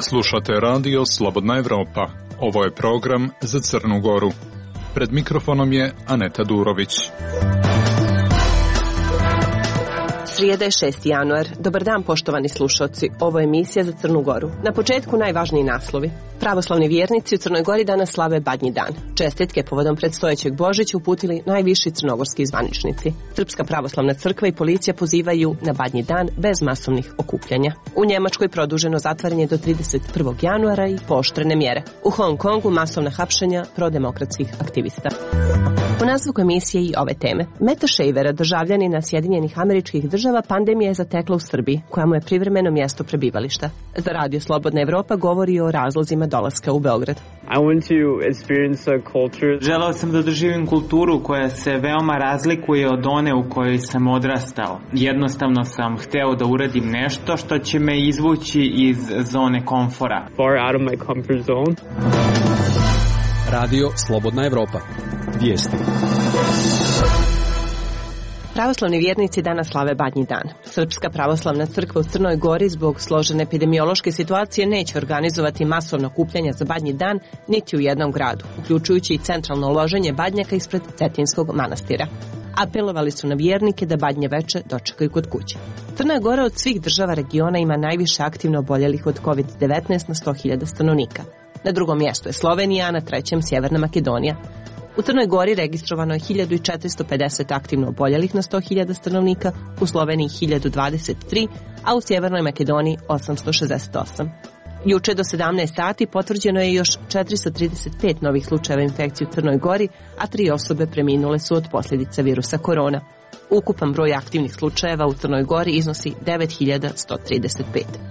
Slušate radio Slobodna Evropa. Ovo je program za Crnu Goru. Pred mikrofonom je Aneta Durović. Srijeda je 6. januar. Dobar dan, poštovani slušalci. Ovo je emisija za Crnu Goru. Na početku najvažniji naslovi. Pravoslavni vjernici u Crnoj Gori danas slave Badnji dan. Čestitke povodom predstojećeg Božića uputili najviši crnogorski zvaničnici. Srpska pravoslavna crkva i policija pozivaju na Badnji dan bez masovnih okupljanja. U Njemačkoj produženo zatvaranje do 31. januara i pooštrene mjere. U Hong Kongu masovna hapšenja prodemokratskih aktivista. U nastavku emisije i ove teme. Meta Shavera, državljanina Sjedinjenih Američkih Država, pandemija je zatekla u Srbiji, koja mu je privremeno mjesto prebivališta. Za radio Slobodna Evropa govori o razlozima dolaska u Beograd. Želeo sam da doživim kulturu koja se veoma razlikuje od one u kojoj sam odrastao. Jednostavno sam hteo da uradim nešto što će me izvući iz zone komfora. Radio Slobodna Evropa. Vijesti. Pravoslavni vjernici danas slave Badnji dan. Srpska pravoslavna crkva u Crnoj Gori zbog složene epidemiološke situacije neće organizovati masovno okupljanja za Badnji dan niti u jednom gradu, uključujući i centralno loženje badnjaka ispred Cetinskog manastira. Apelovali su na vjernike da Badnje veče dočekaju kod kuće. Crna Gora od svih država regiona ima najviše aktivno oboljelih od COVID-19 na 100.000 stanovnika. Na drugom mjestu je Slovenija, a na trećem Sjeverna Makedonija. U Crnoj Gori registrovano je 1450 aktivno oboljelih na 100.000 stanovnika, u Sloveniji 1023, a u Sjevernoj Makedoniji 868. Juče do 17 sati potvrđeno je još 435 novih slučajeva infekcije u Crnoj Gori, a 3 osobe preminule su od posljedica virusa korona. Ukupan broj aktivnih slučajeva u Crnoj Gori iznosi 9135.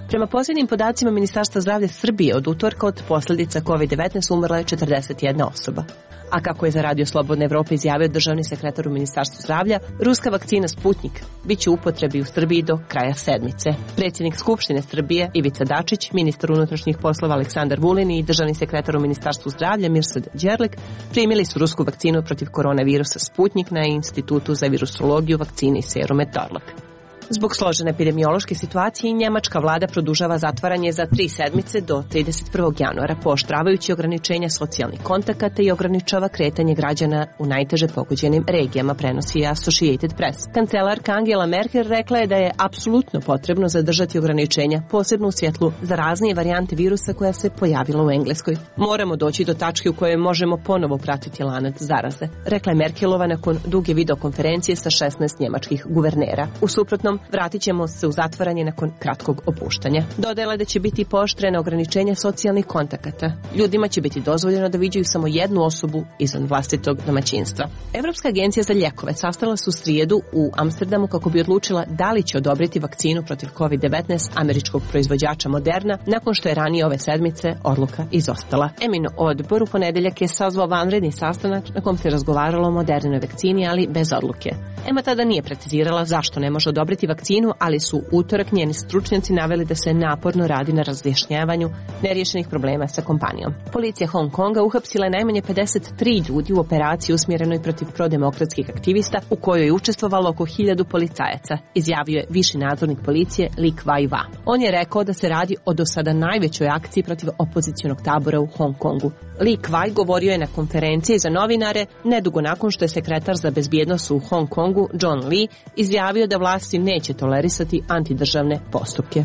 Prema posljednjim podacima Ministarstva zdravlja Srbije, od utorka od posljedica COVID-19 umrla je 41 osoba. A kako je za radio Slobodne Evrope izjavio državni sekretar u Ministarstvu zdravlja, ruska vakcina Sputnik bit će u upotrebi u Srbiji do kraja sedmice. Predsjednik Skupštine Srbije Ivica Dačić, ministar unutrašnjih poslova Aleksandar Vulin i državni sekretar u Ministarstvu zdravlja Mirsad Đerlek primili su rusku vakcinu protiv koronavirusa Sputnik na Institutu za virusologiju, vakcine i serum Torlak. Zbog složene epidemiološke situacije, njemačka vlada produžava zatvaranje za 3 sedmice do 31. januara, pooštravajući ograničenja socijalnih kontakata i ograničava kretanje građana u najteže pogođenim regijama, prenosi Associated Press. Kancelarka Angela Merkel rekla je da je apsolutno potrebno zadržati ograničenja, posebno u svjetlu zaraznije varijante virusa koja se pojavila u Engleskoj. Moramo doći do tačke u kojoj možemo ponovo pratiti lanac zaraze, rekla je Merkelova nakon duge videokonferencije sa 16 njemačkih guvernera. U suprotnom, vratit ćemo se u zatvaranje nakon kratkog opuštanja. Dodala da će biti pooštrena ograničenja socijalnih kontakata. Ljudima će biti dozvoljeno da viđaju samo jednu osobu izvan vlastitog domaćinstva. Evropska agencija za lijekove sastala se u srijedu u Amsterdamu kako bi odlučila da li će odobriti vakcinu protiv COVID-19 američkog proizvođača Moderna, nakon što je ranije ove sedmice odluka izostala. Emin odbor u ponedjeljak je sazvao vanredni sastanak na kom se razgovaralo o Modernoj vakcini, ali bez odluke. EMA tada nije precizirala zašto ne može odobriti vakcinu, ali su utorak njeni stručnjaci naveli da se naporno radi na razjašnjavanju neriješenih problema sa kompanijom. Policija Hong Konga uhapsila je najmanje 53 ljudi u operaciji usmjerenoj protiv prodemokratskih aktivista, u kojoj je učestvovalo oko 1000 policajaca, izjavio je viši nadzornik policije Li Kuai-wa. On je rekao da se radi o do sada najvećoj akciji protiv opozicionog tabora u Hong Kongu. Li Kuai govorio je na konferenciji za novinare nedugo nakon što je sekretar za bezbjednost u Hong Kongu John Lee izjavio da vlasti neće tolerisati antidržavne postupke.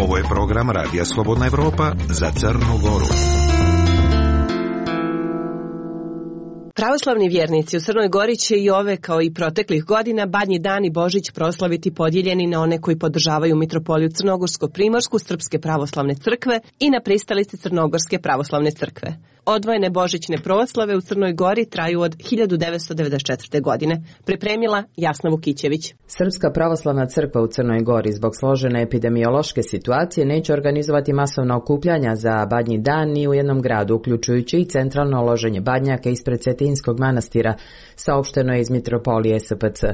Ovo je program Radija Slobodna Evropa za Crnu Goru. Pravoslavni vjernici u Crnoj Gori će i ove, kao i proteklih godina, Badnji dan i Božić proslaviti podijeljeni na one koji podržavaju mitropoliju Crnogorsko-Primorsku Srpske pravoslavne crkve i na pristalice Crnogorske pravoslavne crkve. Odvojene božićne proslave u Crnoj Gori traju od 1994. godine. Pripremila Jasna Vukićević. Srpska pravoslavna crkva u Crnoj Gori zbog složene epidemiološke situacije neće organizovati masovna okupljanja za Badnji dan ni u jednom gradu, uključujući i centralno loženje badnjaka ispred Cetinskog manastira, saopšteno je iz mitropolije SPC.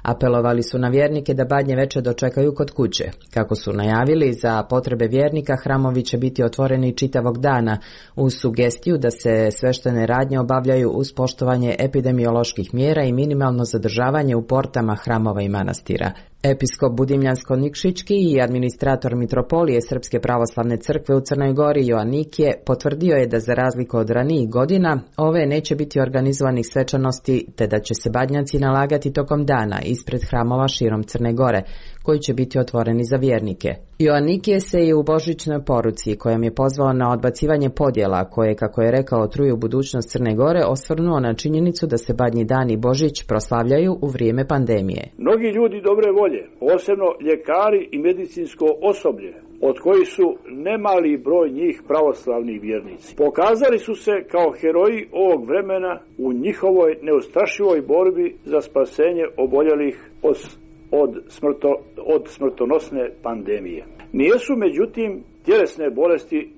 Apelovali su na vjernike da Badnje veče dočekaju kod kuće. Kako su najavili, za potrebe vjernika hramovi će biti otvoreni čitavog dana, uz sugestiju da se sveštene radnje obavljaju uz poštovanje epidemioloških mjera i minimalno zadržavanje u portama hramova i manastira. Episkop Budimljansko-Nikšićki i administrator mitropolije Srpske pravoslavne crkve u Crnoj Gori Joannikije potvrdio je da za razliku od ranijih godina ove neće biti organizovanih svečanosti te da će se badnjaci nalagati tokom dana ispred hramova širom Crne Gore, koji će biti otvoreni za vjernike. Joannikije se i u božićnoj poruci, kojom je pozvao na odbacivanje podjela koje, kako je rekao, truju budućnost Crne Gore, osvrnuo na činjenicu da se Badnji dan i Božić proslavljaju u vrijeme pandemije. Mnogi ljudi dobre volje, posebno ljekari i medicinsko osoblje, od kojih su nemali broj njih pravoslavni vjernici, pokazali su se kao heroji ovog vremena u njihovoj neustrašivoj borbi za spasenje oboljelih od smrtonosne pandemije. Nijesu međutim tjelesne bolesti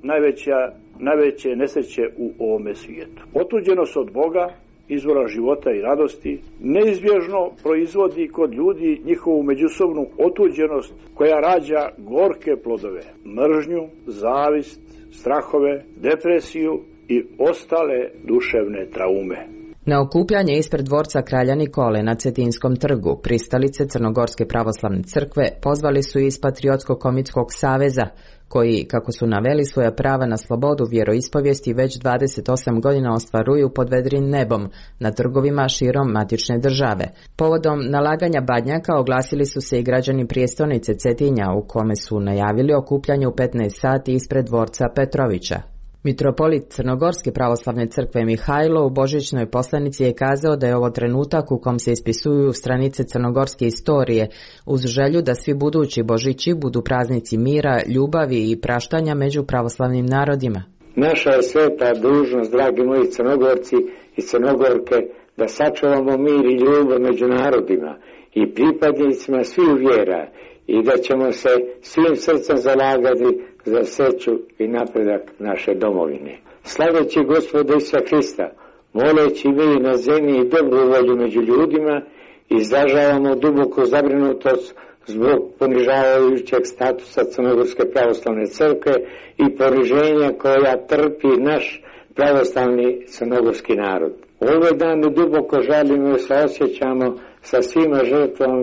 najveće nesreće u ovome svijetu. Otuđenost od Boga, izvora života i radosti, neizbježno proizvodi kod ljudi njihovu međusobnu otuđenost koja rađa gorke plodove, mržnju, zavist, strahove, depresiju i ostale duševne traume. Na okupljanje ispred dvorca kralja Nikole na Cetinskom trgu, pristalice Crnogorske pravoslavne crkve pozvali su iz Patriotsko-komitskog saveza, koji, kako su naveli, svoja prava na slobodu vjeroispovijesti već 28 godina ostvaruju pod vedrim nebom na trgovima širom matične države. Povodom nalaganja badnjaka oglasili su se i građani prijestolnice Cetinja, u kome su najavili okupljanje u 15 sati ispred dvorca Petrovića. Mitropolit Crnogorske pravoslavne crkve Mihajlo u božićnoj poslanici je kazao da je ovo trenutak u kom se ispisuju stranice crnogorske istorije, uz želju da svi budući Božići budu praznici mira, ljubavi i praštanja među pravoslavnim narodima. Naša je sveta dužnost, dragi moji Crnogorci i Crnogorke, da sačuvamo mir i ljubav među narodima i pripadnicima svih vjera i da ćemo se svim srcem zalagati za sreću i napredak naše domovine. Slaveći Gospoda Isusa Hrista, moleći mir na zemlji i dobru volju među ljudima, izražavamo duboku zabrinutost zbog ponižavajućeg statusa Crnogorske pravoslavne crkve i poniženja koja trpi naš pravoslavni crnogorski narod. Ove dane duboko žalimo i saosjećamo sa svima žrtvama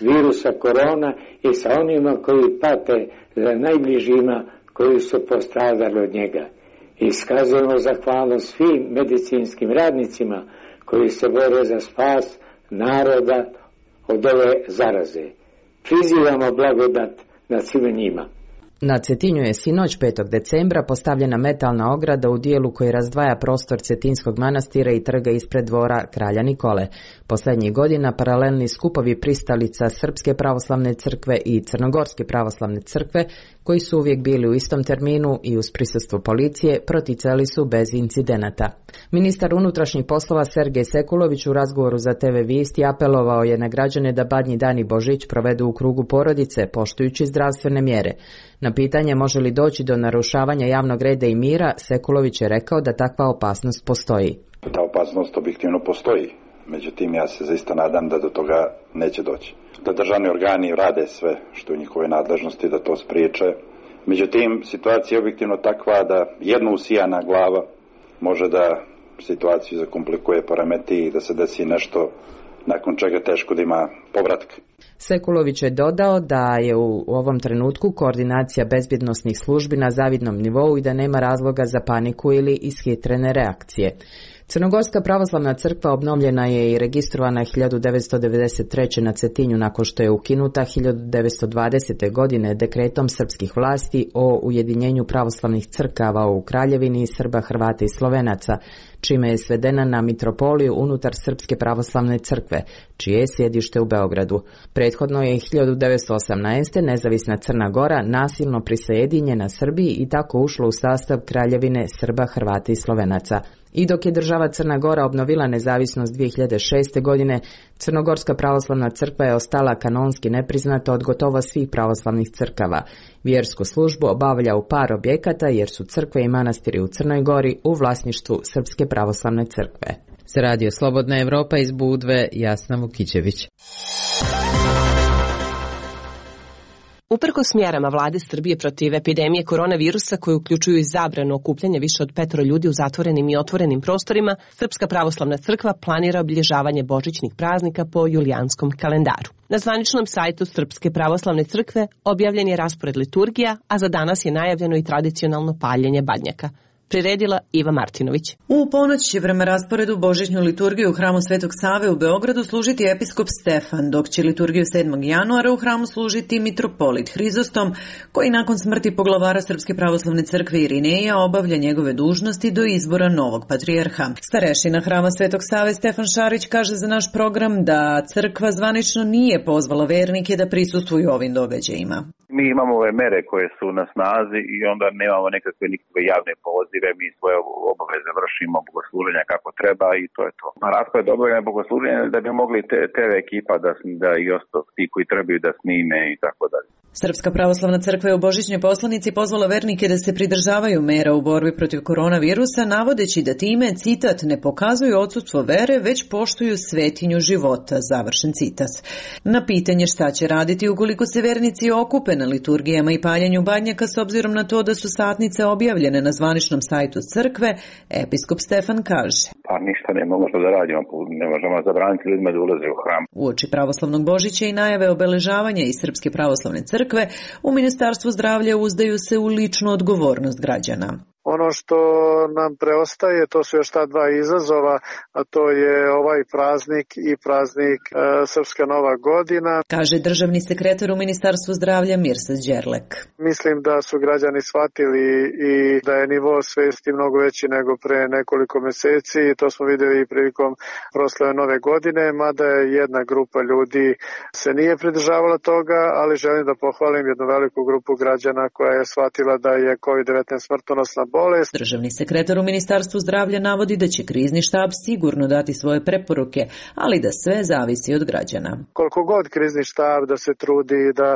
virusa korona i sa onima koji pate za najbližima koji su postradali od njega. Iskazujemo zahvalnost svim medicinskim radnicima koji se bore za spas naroda od ove zaraze. Prizivamo blagodat nad svima njima. Na Cetinju je sinoć 5. decembra postavljena metalna ograda u dijelu koji razdvaja prostor Cetinskog manastira i trga ispred dvora kralja Nikole. Posljednjih godina paralelni skupovi pristalica Srpske pravoslavne crkve i Crnogorske pravoslavne crkve, koji su uvijek bili u istom terminu i uz prisustvo policije, proticali su bez incidenata. Ministar unutrašnjih poslova Sergej Sekulović u razgovoru za TV Visti apelovao je na građane da Badnji dan i Božić provedu u krugu porodice, poštujući zdravstvene mjere. Na pitanje može li doći do narušavanja javnog reda i mira, Sekulović je rekao da takva opasnost postoji. Ta opasnost objektivno postoji, međutim ja se zaista nadam da do toga neće doći. Da državni organi rade sve što je u njihovoj nadležnosti da to spriječe. Međutim, situacija je objektivno takva da jedna usijana glava može da situaciju zakomplikuje, poremeti i da se desi nešto nakon čega teško da ima povratka. Sekulović je dodao da je u ovom trenutku koordinacija bezbjednosnih službi na zavidnom nivou i da nema razloga za paniku ili ishitrene reakcije. Crnogorska pravoslavna crkva obnovljena je i registrovana 1993. na Cetinju nakon što je ukinuta 1920. godine dekretom srpskih vlasti o ujedinjenju pravoslavnih crkava u Kraljevini Srba, Hrvata i Slovenaca, čime je svedena na mitropoliju unutar Srpske pravoslavne crkve, čije je sjedište u Beogradu. Prethodno je 1918. nezavisna Crna Gora nasilno prisajedinjena Srbiji i tako ušla u sastav Kraljevine Srba, Hrvata i Slovenaca. I dok je država Crna Gora obnovila nezavisnost 2006. godine, Crnogorska pravoslavna crkva je ostala kanonski nepriznata od gotovo svih pravoslavnih crkava. Vjersku službu obavlja u par objekata jer su crkve i manastiri u Crnoj Gori u vlasništvu Srpske pravoslavne crkve. Za Radio Slobodna Evropa iz Budve, Jasna Vukićević. Uprkos mjerama vlade Srbije protiv epidemije koronavirusa koji uključuju i zabranu okupljanja više od 5 ljudi u zatvorenim i otvorenim prostorima, Srpska pravoslavna crkva planira obilježavanje božićnih praznika po julijanskom kalendaru. Na zvaničnom sajtu Srpske pravoslavne crkve objavljen je raspored liturgija, a za danas je najavljeno i tradicionalno paljenje badnjaka. Priredila Iva Martinović. U ponoć će prema rasporedu božićnu liturgiju u hramu Svetog Save u Beogradu služiti episkop Stefan, dok će liturgiju 7. januara u hramu služiti mitropolit Hrizostom, koji nakon smrti poglavara Srpske pravoslavne crkve Irineja obavlja njegove dužnosti do izbora novog patrijarha. Starešina hrama Svetog Save Stefan Šarić kaže za naš program da crkva zvanično nije pozvala vernike da prisustvuju ovim događajima. Mi imamo ove mere koje su na snazi i onda nemamo nikakve javne pozive, mi svoje obaveze vršimo, bogosluženja kako treba i to je to. Raspored obavljanja bogosluženja da bi mogli TV ekipa da i ostalo ti koji trebaju da snime i tako dalje. Srpska pravoslavna crkva je u božićnoj poslanici pozvala vernike da se pridržavaju mera u borbi protiv koronavirusa, navodeći da time, citat, ne pokazuju odsudstvo vere, već poštuju svetinju života, završen citat. Na pitanje šta će raditi ukoliko se vernici okupe na liturgijama i paljenju badnjaka s obzirom na to da su satnice objavljene na zvaničnom sajtu crkve, episkop Stefan kaže. Pa ništa ne možemo da radimo, ne možemo zabraniti ljudima da ulaze u hram. Uoči pravoslavnog Božića i najave obeležavanja iz Srpske pravoslavne crkve, u Ministarstvu zdravlja uzdaju se u ličnu odgovornost građana. Ono što nam preostaje, to su još ta dva izazova, a to je ovaj praznik i praznik Srpska Nova godina. Kaže državni sekretar u Ministarstvu zdravlja Mirsad Đerlek. Mislim da su građani shvatili i da je nivo svesti mnogo veći nego pre nekoliko meseci. To smo vidjeli i prilikom proslave Nove godine, mada je jedna grupa ljudi se nije pridržavala toga, ali želim da pohvalim jednu veliku grupu građana koja je shvatila da je COVID-19 smrtonosna bolest. Državni sekretar u Ministarstvu zdravlja navodi da će krizni štab sigurno dati svoje preporuke, ali da sve zavisi od građana. Koliko god krizni štab da se trudi da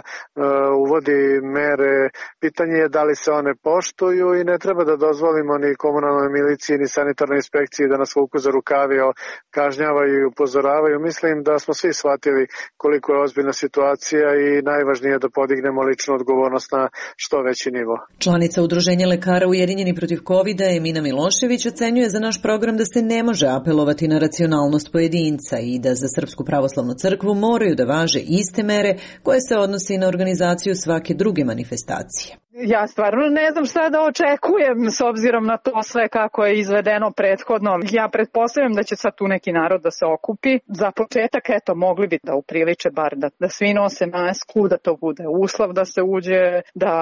uvodi mere, pitanje je da li se one poštuju i ne treba da dozvolimo ni komunalnoj miliciji ni sanitarnoj inspekciji da nas vuku za rukavi, kažnjavaju i upozoravaju. Mislim da smo svi shvatili koliko je ozbiljna situacija i najvažnije je da podignemo ličnu odgovornost na što veći nivo. Članica Udruženja lekara Ujedinjeni protiv COVID-a Emina Milošević ocenjuje za naš program da se ne može apelovati na racionalnost pojedinca i da za Srpsku pravoslavnu crkvu moraju da važe iste mere koje se odnosi na organizaciju svake druge manifestacije. Ja stvarno ne znam šta da očekujem s obzirom na to sve kako je izvedeno prethodno. Ja pretpostavljam da će sad tu neki narod da se okupi. Za početak, mogli bi da upriliče bar da svi nose masku, da to bude uslov da se uđe, da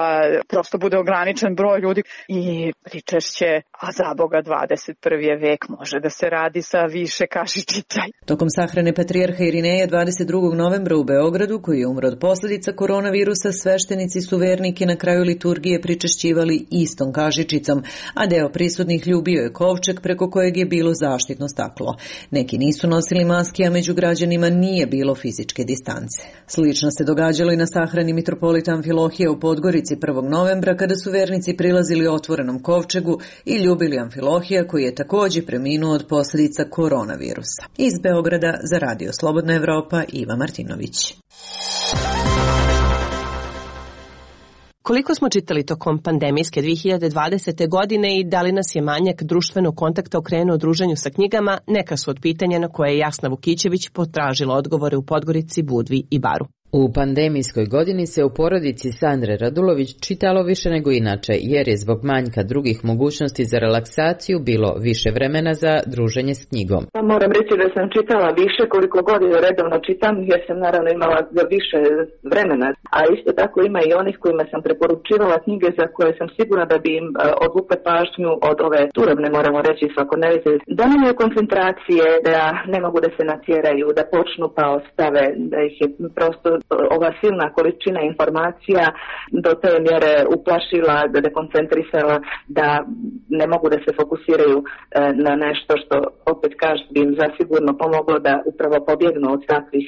prosto bude ograničen broj ljudi i pričešće, a za Boga 21. vek može da se radi sa više kašičica. Tokom sahrane patrijarha Irineja 22. novembra u Beogradu, koji je umro od posljedica koronavirusa, sveštenici su vernike na kraju liturgije pričešćivali istom kašičicom, a deo prisutnih ljubio je kovčeg preko kojeg je bilo zaštitno staklo. Neki nisu nosili maske, a među građanima nije bilo fizičke distance. Slično se događalo i na sahrani mitropolita Amfilohija u Podgorici 1. novembra, kada su vernici prilazili otvorenom kovčegu i ljubili Amfilohija, koji je također preminuo od posljedica koronavirusa. Iz Beograda za Radio Slobodna Evropa, Iva Martinović. Koliko smo čitali tokom pandemijske 2020. godine i da li nas je manjak društvenog kontakta okrenuo druženju sa knjigama, neka su od pitanja na koje je Jasna Vukićević potražila odgovore u Podgorici, Budvi i Baru. U pandemijskoj godini se u porodici Sandre Radulović čitalo više nego inače, jer je zbog manjka drugih mogućnosti za relaksaciju bilo više vremena za druženje s knjigom. Moram reći da sam čitala više, koliko godina redovno čitam, jer sam naravno imala više vremena, a isto tako ima i onih kojima sam preporučivala knjige za koje sam sigurna da bi im odvukle pažnju od ove turobne, moramo reći, svakodnevice. Da nemaju koncentracije, da ne mogu da se natjeraju, da počnu pa ostave, da ih je prosto ova silna količina informacija do te mjere uplašila, da dekoncentrisala, da ne mogu da se fokusiraju na nešto što, opet kažem, bi im zasigurno pomoglo da upravo pobjegnu od takvih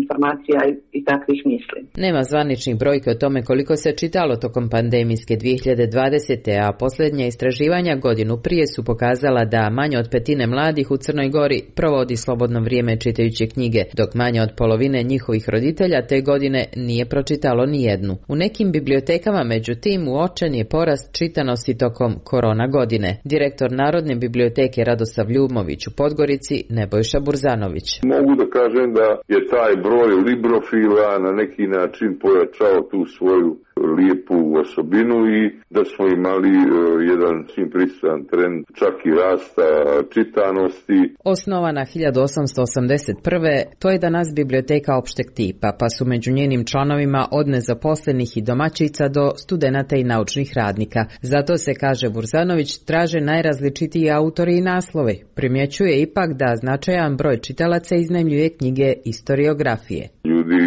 informacija i takvih misli. Nema zvaničnih brojke o tome koliko se čitalo tokom pandemijske 2020. a posljednja istraživanja godinu prije su pokazala da manje od petine mladih u Crnoj Gori provodi slobodno vrijeme čitajući knjige, dok manje od polovine njihovih roditelja tek ove godine nije pročitalo ni jednu. U nekim bibliotekama, međutim, uočen je porast čitanosti tokom korona godine. Direktor Narodne biblioteke Radosav Ljubović u Podgorici, Nebojša Burzanović. Mogu da kažem da je taj broj librofila na neki način pojačao tu svoju lijepu osobinu i da smo imali jedan svim prisutan trend čak i rasta čitanosti. Osnovana 1881. to je danas biblioteka opšteg tipa, pa su među njenim članovima od nezaposlenih i domaćica do studenata i naučnih radnika. Zato se, kaže Burzanović, traže najrazličitiji autori i naslove. Primjećuje ipak da značajan broj čitalaca iznajmljuje knjige istoriografije. Ljudi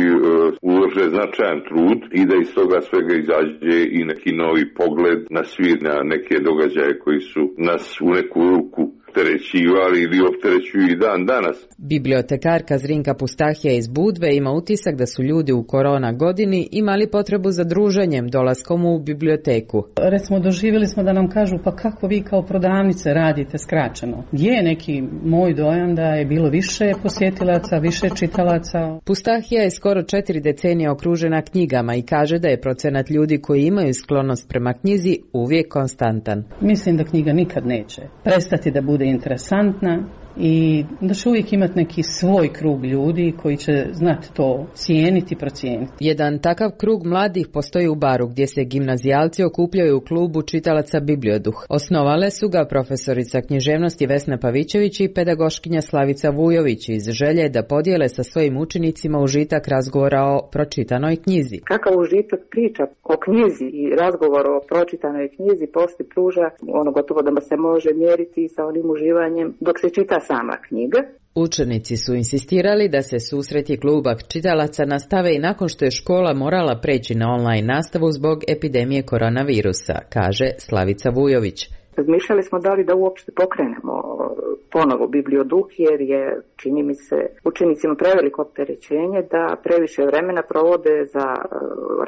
ulože značajan trud i da iz toga svega izađe i neki novi pogled na svijet, na neke događaje koji su nas u neku ruku opterećivali ili opterećuju i dan danas. Bibliotekarka Zrinka Pustahija iz Budve ima utisak da su ljudi u korona godini imali potrebu za druženjem dolaskom u biblioteku. Recimo, doživjeli smo da nam kažu, pa kako vi kao prodavnice radite skraćeno. Je neki moj dojam da je bilo više posjetilaca, više čitalaca. Pustahija je skoro 4 decenije okružena knjigama i kaže da je procenat ljudi koji imaju sklonost prema knjizi uvijek konstantan. Mislim da knjiga nikad neće prestati da bude interesantna i da će uvijek imati neki svoj krug ljudi koji će znati to cijeniti i procijeniti. Jedan takav krug mladih postoji u Baru gdje se gimnazijalci okupljaju u klubu čitalaca Biblioduh. Osnovale su ga profesorica književnosti Vesna Pavićević i pedagoškinja Slavica Vujović iz želje da podijele sa svojim učenicima užitak razgovora o pročitanoj knjizi. Kakav užitak priča o knjizi i razgovor o pročitanoj knjizi poslije pruža, ono gotovo da se može mjeriti sa onim uživanjem dok se čita sama knjiga. Učenici su insistirali da se susreti kluba čitalaca nastave i nakon što je škola morala preći na online nastavu zbog epidemije koronavirusa, kaže Slavica Vujović. Razmišljali smo da li da uopšte pokrenemo ponovo Biblioduh, jer je, čini mi se, učenicima preveliko opterećenje da previše vremena provode za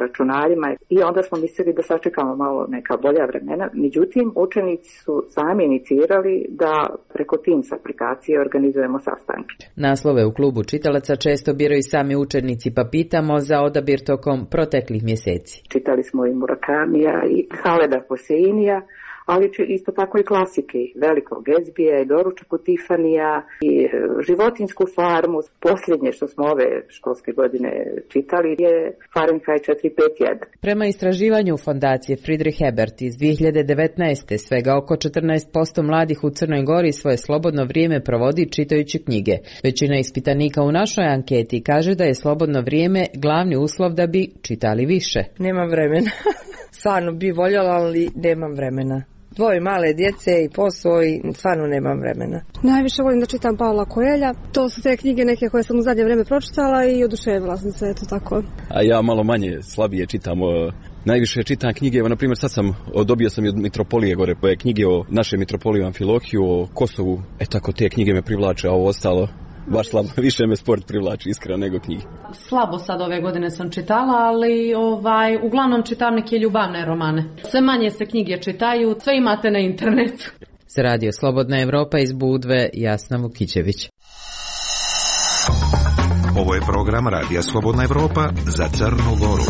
računarima i onda smo mislili da sačekamo malo neka bolja vremena. Međutim, učenici su sami inicirali da preko Teams aplikacije organizujemo sastanke. Naslove u klubu čitalaca često biraju sami učenici, pa pitamo za odabir tokom proteklih mjeseci. Čitali smo i Murakamija i Haleda Hoseinija, ali isto tako i klasike, Velikog Gatsbija i Doručak u Tifanija i Životinjsku farmu. Posljednje što smo ove školske godine čitali je Fahrenheit 451. Prema istraživanju fondacije Friedrich Ebert iz 2019. svega oko 14% mladih u Crnoj Gori svoje slobodno vrijeme provodi čitajući knjige. Većina ispitanika u našoj anketi kaže da je slobodno vrijeme glavni uslov da bi čitali više. Nemam vremena. Stvarno bi voljela, ali nemam vremena. Dvoje male djece i posao i stvarno nemam vremena. Najviše volim da čitam Paula Coelha. To su te knjige neke koje sam u zadnje vrijeme pročitala i oduševila sam se, eto tako. A ja malo manje, slabije čitam. Najviše čitam knjige, na primjer sad dobio sam i od Mitropolije gore, knjige o našem mitropoliju Amfilohiju, o Kosovu, tako te knjige me privlače, a ovo ostalo baš slabo, više me sport privlači iskreno nego knjige. Slabo sad ove godine sam čitala, ali uglavnom čitam neke ljubavne romane. Sve manje se knjige čitaju, sve imate na internetu. Za Radio Slobodna Evropa iz Budve, Jasna Vukićević. Ovo je program Radija Slobodna Evropa za Crnu Goru.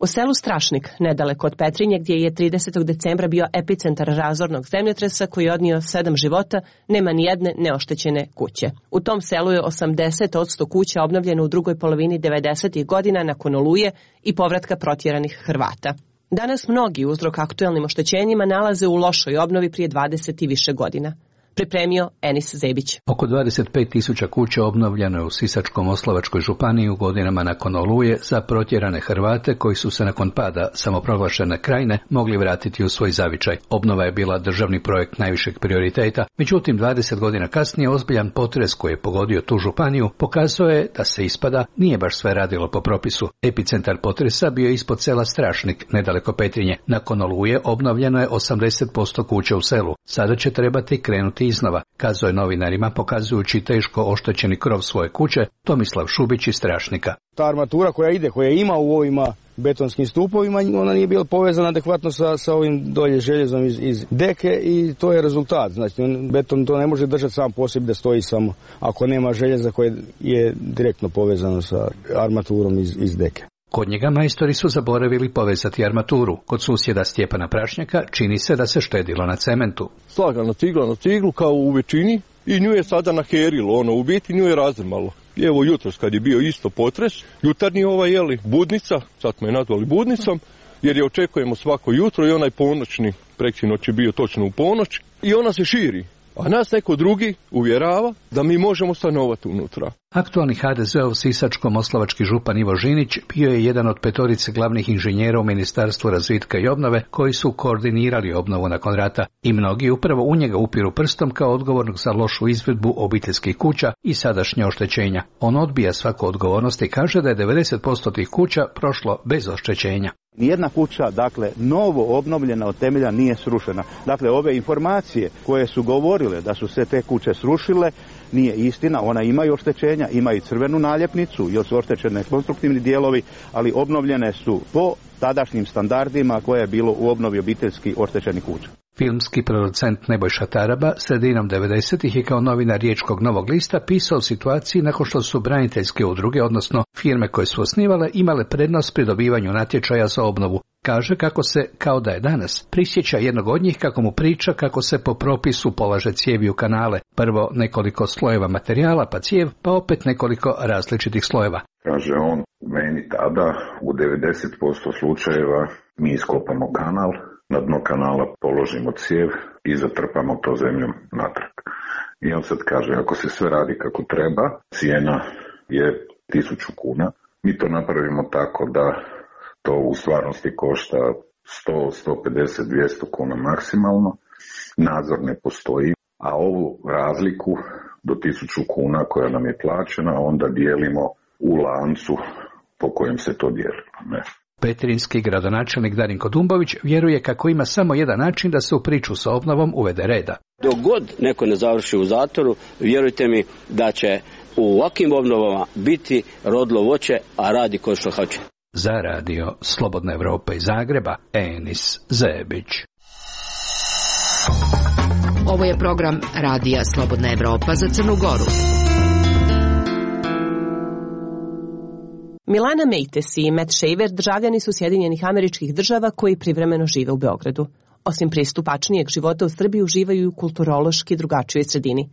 U selu Strašnik, nedaleko od Petrinje, gdje je 30. decembra bio epicentar razornog zemljotresa koji je odnio 7 života, nema ni jedne neoštećene kuće. U tom selu je 80% kuća obnovljeno u drugoj polovini 90. godina nakon oluje i povratka protjeranih Hrvata. Danas mnogi uzrok aktuelnim oštećenjima nalaze u lošoj obnovi prije 20 i više godina. Pripremio Enis Zebić. Oko 25.000 kuća obnovljeno je u Sisačko-moslavačkoj županiji u godinama nakon oluje za protjerane Hrvate koji su se nakon pada samoproglašene Krajine mogli vratiti u svoj zavičaj. Obnova je bila državni projekt najvišeg prioriteta, međutim 20 godina kasnije ozbiljan potres koji je pogodio tu županiju pokazao je da se ispada nije baš sve radilo po propisu. Epicentar potresa bio je ispod sela Strašnik, nedaleko Petrinje. Nakon oluje obnovljeno je 80% kuća u selu. Sada će trebati krenuti početi iznova, kazao je novinarima pokazujući teško oštećeni krov svoje kuće Tomislav Šubić iz Strašnika. Ta armatura koja ima u ovima betonskim stupovima, ona nije bila povezana adekvatno sa ovim dolje željezom iz deke i to je rezultat. Znači, beton to ne može držati sam po sebi da stoji samo ako nema željeza koje je direktno povezano sa armaturom iz deke. Kod njega majstori su zaboravili povezati armaturu. Kod susjeda Stjepana Prašnjaka čini se da se štedilo na cementu. Slagano cigla na ciglu kao u većini i nju je sada naherilo, u biti nju je razrmalo. Evo jutros kad je bio isto potres, jutarnji budnica, sad smo je nazvali budnicom, jer je očekujemo svako jutro i onaj ponoćni, preksinoć je bio točno u ponoć i ona se širi. A nas neko drugi uvjerava da mi možemo stanovati unutra. Aktualni HDZ-ov sisačko-moslavački župan Ivo Žinić bio je jedan od 5 glavnih inženjera u Ministarstvu razvitka i obnove koji su koordinirali obnovu nakon rata i mnogi upravo u njega upiru prstom kao odgovornog za lošu izvedbu obiteljskih kuća i sadašnje oštećenja. On odbija svaku odgovornost i kaže da je 90% tih kuća prošlo bez oštećenja. Nijedna kuća, novo obnovljena od temelja nije srušena. Ove informacije koje su govorile da su se te kuće srušile, nije istina, ona imaju oštećenja, ima i crvenu naljepnicu, jer su oštećene konstruktivni dijelovi, ali obnovljene su po tadašnjim standardima koje je bilo u obnovi obiteljski oštećenih kuća. Filmski producent Nebojša Taraba sredinom 90-ih je kao novinar Riječkog Novog lista pisao o situaciji nakon što su braniteljske udruge, odnosno firme koje su osnivale, imale prednost pri dobivanju natječaja za obnovu. Kaže kako se, kao da je danas, prisjeća jednog od njih kako mu priča kako se po propisu polaže cijevi u kanale. Prvo nekoliko slojeva materijala pa cijev, pa opet nekoliko različitih slojeva. Kaže on, meni tada u 90% slučajeva mi iskopamo kanal, na dno kanala položimo cijev i zatrpamo to zemljom natrag. I on sad kaže, ako se sve radi kako treba, cijena je 1000 kuna. Mi to napravimo tako da to u stvarnosti košta 100, 150, 200 kuna maksimalno. Nadzor ne postoji, a ovu razliku do 1000 kuna koja nam je plaćena onda dijelimo u lancu po kojem se to dijeli. Ne. Petrinjski gradonačelnik Darinko Dumbović vjeruje kako ima samo jedan način da se u priču sa obnovom uvede reda. Dok god neko ne završi u zatvoru, vjerujte mi da će u ovakvim obnovama biti rodlo voće, a radi ko što hoće. Za radio Slobodna Evropa iz Zagreba, Enis Zebić. Ovo je program radija Slobodna Evropa za Crnu Goru. Milana Mejtes i Matt Shaver državljani su Sjedinjenih Američkih Država koji privremeno žive u Beogradu. Osim pristupačnijeg života u Srbiji uživaju u kulturološki drugačijoj sredini.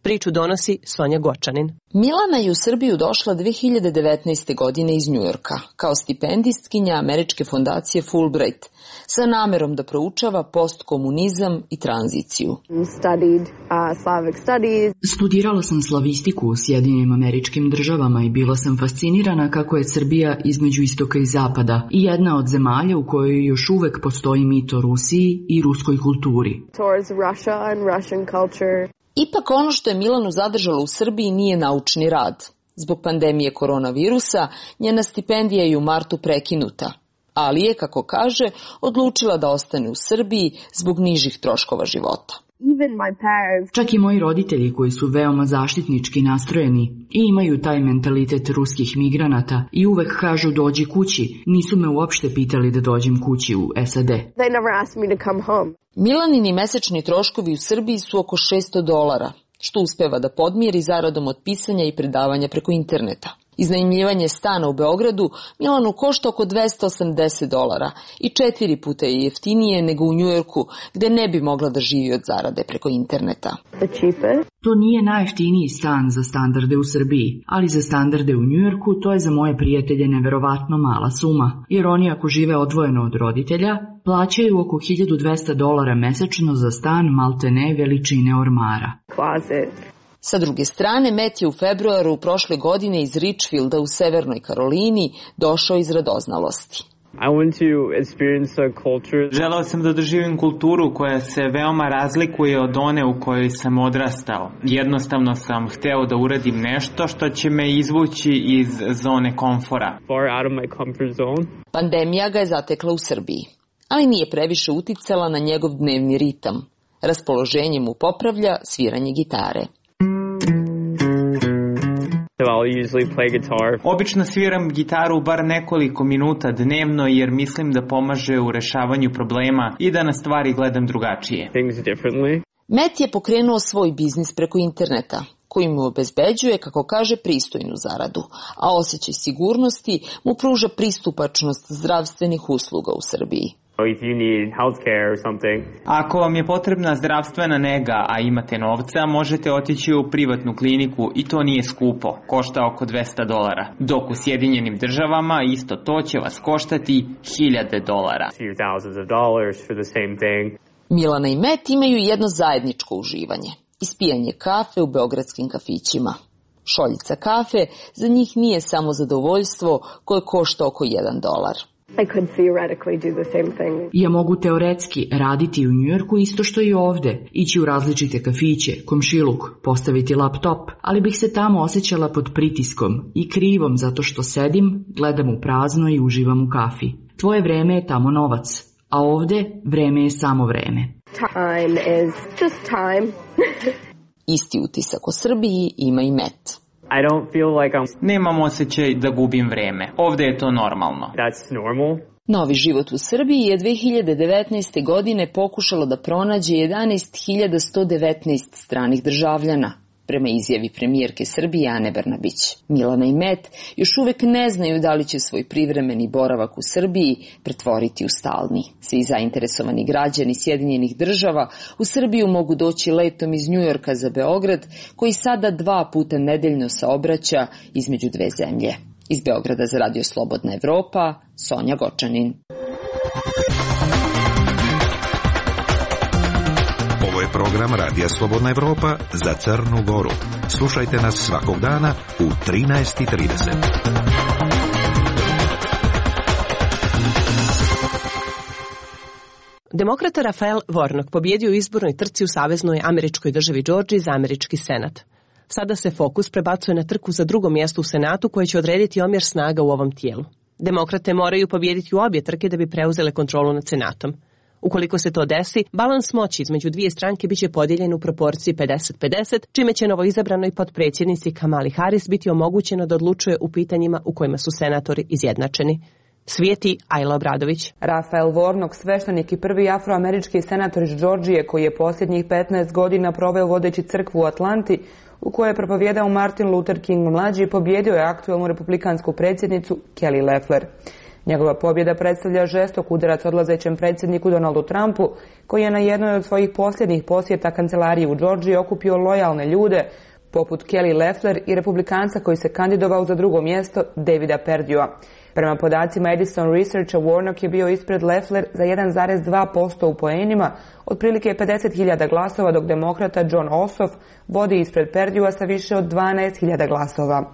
Priču donosi Sonja Gočanin. Milana je u Srbiju došla 2019. godine iz Njujorka kao stipendistkinja američke fondacije Fulbright sa namerom da proučava postkomunizam i tranziciju. Studirala sam slavistiku u Sjedinjenim Američkim Državama i bila sam fascinirana kako je Srbija između istoka i zapada i jedna od zemalja u kojoj još uvek postoji mit o Rusiji i ruskoj kulturi. Ipak ono što je Milanu zadržalo u Srbiji nije naučni rad. Zbog pandemije koronavirusa njena stipendija je u martu prekinuta, ali je, kako kaže, odlučila da ostane u Srbiji zbog nižih troškova života. Čak i moji roditelji koji su veoma zaštitnički nastrojeni i imaju taj mentalitet ruskih migranata i uvek kažu dođi kući, nisu me uopšte pitali da dođem kući u SAD. Milanini mesečni troškovi u Srbiji su oko $600, što uspeva da podmiri zaradom od pisanja i predavanja preko interneta. Iznajmljivanje stana u Beogradu Milanu košta oko $280 i 4 puta je jeftinije nego u Njujorku, gde ne bi mogla da živi od zarade preko interneta. To nije najjeftiniji stan za standarde u Srbiji, ali za standarde u Njujorku to je za moje prijatelje neverovatno mala suma, jer oni ako žive odvojeno od roditelja, plaćaju oko $1200 mesečno za stan maltene veličine ormara. Sa druge strane, Matt je u februaru prošle godine iz Richfielda u Severnoj Karolini došao iz radoznalosti. Želeo sam da doživim kulturu koja se veoma razlikuje od one u kojoj sam odrastao. Jednostavno sam hteo da uradim nešto što će me izvući iz zone komfora. Pandemija ga je zatekla u Srbiji, ali nije previše uticala na njegov dnevni ritam. Raspoloženje mu popravlja sviranje gitare. Obično sviram gitaru bar nekoliko minuta dnevno jer mislim da pomaže u rešavanju problema i da na stvari gledam drugačije. Matt je pokrenuo svoj biznis preko interneta, koji mu obezbeđuje, kako kaže, pristojnu zaradu, a osjećaj sigurnosti mu pruža pristupačnost zdravstvenih usluga u Srbiji. Ako vam je potrebna zdravstvena nega, a imate novca, možete otići u privatnu kliniku i to nije skupo, košta oko $200, dok u Sjedinjenim državama isto to će vas koštati $1,000. Milana i Matt imaju jedno zajedničko uživanje, ispijanje kafe u beogradskim kafićima. Šoljica kafe za njih nije samo zadovoljstvo koje košta oko $1. Ja mogu teoretski raditi u Njujorku isto što i ovde, ići u različite kafiće, komšiluk, postaviti laptop, ali bih se tamo osjećala pod pritiskom i krivom zato što sedim, gledam u prazno i uživam u kafi. Tvoje vreme je tamo novac, a ovde vreme je samo vreme. Time is just time. Isti utisak o Srbiji ima i Matt. Nemam osjećaj da gubim vreme. Ovde je to normalno. Novi život u Srbiji je 2019. godine pokušalo da pronađe 11.119 stranih državljana, prema izjavi premijerke Srbije Ane Brnabić. Milana i Matt još uvek ne znaju da li će svoj privremeni boravak u Srbiji pretvoriti u stalni. Svi zainteresovani građani Sjedinjenih država u Srbiju mogu doći letom iz Njujorka za Beograd, koji sada 2 puta nedeljno saobraća između dve zemlje. Iz Beograda za Radio Slobodna Evropa, Sonja Gočanin. Ovo je program Radija Slobodna Evropa za Crnu Goru. Slušajte nas svakog dana u 13:30. Demokrata Rafael Warnock pobjedio u izbornoj trci u saveznoj američkoj državi Džordžiji za američki senat. Sada se fokus prebacuje na trku za drugo mjesto u senatu koje će odrediti omjer snaga u ovom tijelu. Demokrate moraju pobijediti u obje trke da bi preuzele kontrolu nad senatom. Ukoliko se to desi, balans moći između dvije stranke biće podijeljen u proporciji 50-50, čime će novoizabranoj potpredsjednici Kamali Harris biti omogućeno da odlučuje u pitanjima u kojima su senatori izjednačeni. Svijeti Ajla Obradović. Rafael Warnock, sveštenik i prvi afroamerički senator iz Džordžije koji je posljednjih 15 godina proveo vodeći crkvu u Atlanti, u kojoj je propovijedao Martin Luther King mlađi, pobjedio je aktualnu republikansku predsjednicu Kelly Loeffler. Njegova pobjeda predstavlja žestok udarac odlazećem predsjedniku Donaldu Trumpu, koji je na jednoj od svojih posljednjih posjeta kancelariji u Džordžiji okupio lojalne ljude, poput Kelly Loeffler i republikanca koji se kandidovao za drugo mjesto, Davida Perdua. Prema podacima Edison Researcha, Warnock je bio ispred Loeffler za 1,2% u poenima, otprilike 50.000 glasova, dok demokrata John Ossoff vodi ispred Perdua sa više od 12.000 glasova.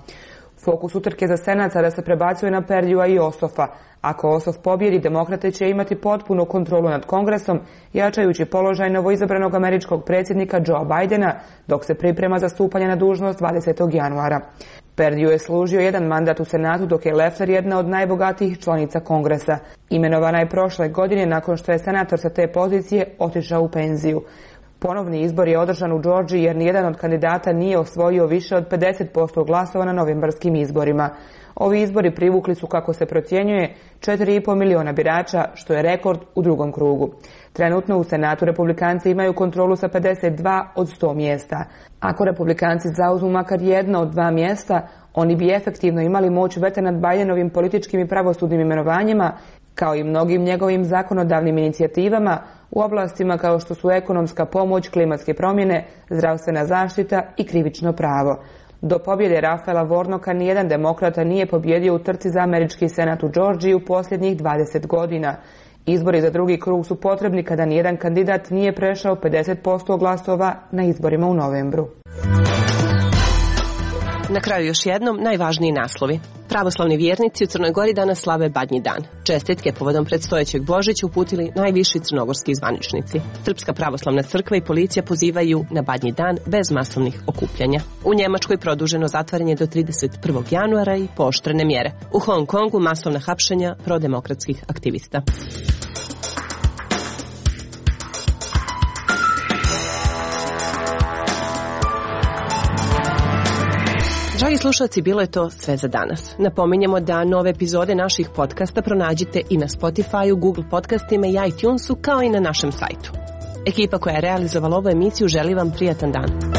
Fokus utrke za senat sada se prebacuje na Perdua i Osoffa. Ako Ossoff pobjedi, demokrate će imati potpunu kontrolu nad kongresom, jačajući položaj novoizabranog američkog predsjednika Joea Bidena, dok se priprema za stupanje na dužnost 20. januara. Perdue je služio jedan mandat u senatu, dok je Loeffler jedna od najbogatijih članica kongresa. Imenovana je prošle godine nakon što je senator sa te pozicije otišao u penziju. Ponovni izbor je održan u Džordžiji jer nijedan od kandidata nije osvojio više od 50% glasova na novembarskim izborima. Ovi izbori privukli su, kako se procjenjuje, 4,5 miliona birača, što je rekord u drugom krugu. Trenutno u senatu republikanci imaju kontrolu sa 52 od 100 mjesta. Ako republikanci zauzmu makar jedno od 2 mjesta, oni bi efektivno imali moć veta nad Bidenovim političkim i pravosudnim imenovanjima, kao i mnogim njegovim zakonodavnim inicijativama u oblastima kao što su ekonomska pomoć, klimatske promjene, zdravstvena zaštita i krivično pravo. Do pobjede Rafaela Warnocka nijedan demokrata nije pobjedio u trci za američki senat u Džordžiji u posljednjih 20 godina. Izbori za drugi krug su potrebni kada nijedan kandidat nije prešao 50% glasova na izborima u novembru. Na kraju još jednom najvažniji naslovi. Pravoslavni vjernici u Crnoj Gori danas slave Badnji dan. Čestitke povodom predstojećeg Božića uputili najviši crnogorski zvaničnici. Srpska pravoslavna crkva i policija pozivaju na Badnji dan bez masovnih okupljanja. U Njemačkoj produženo zatvaranje do 31. januara i pooštrene mjere. U Hong Kongu masovna hapšenja prodemokratskih aktivista. Dragi slušalci, bilo je to sve za danas. Napominjemo da nove epizode naših podcasta pronađite i na Spotify-u, Google podcastima i iTunesu, kao i na našem sajtu. Ekipa koja je realizovala ovu emisiju želi vam prijatan dan.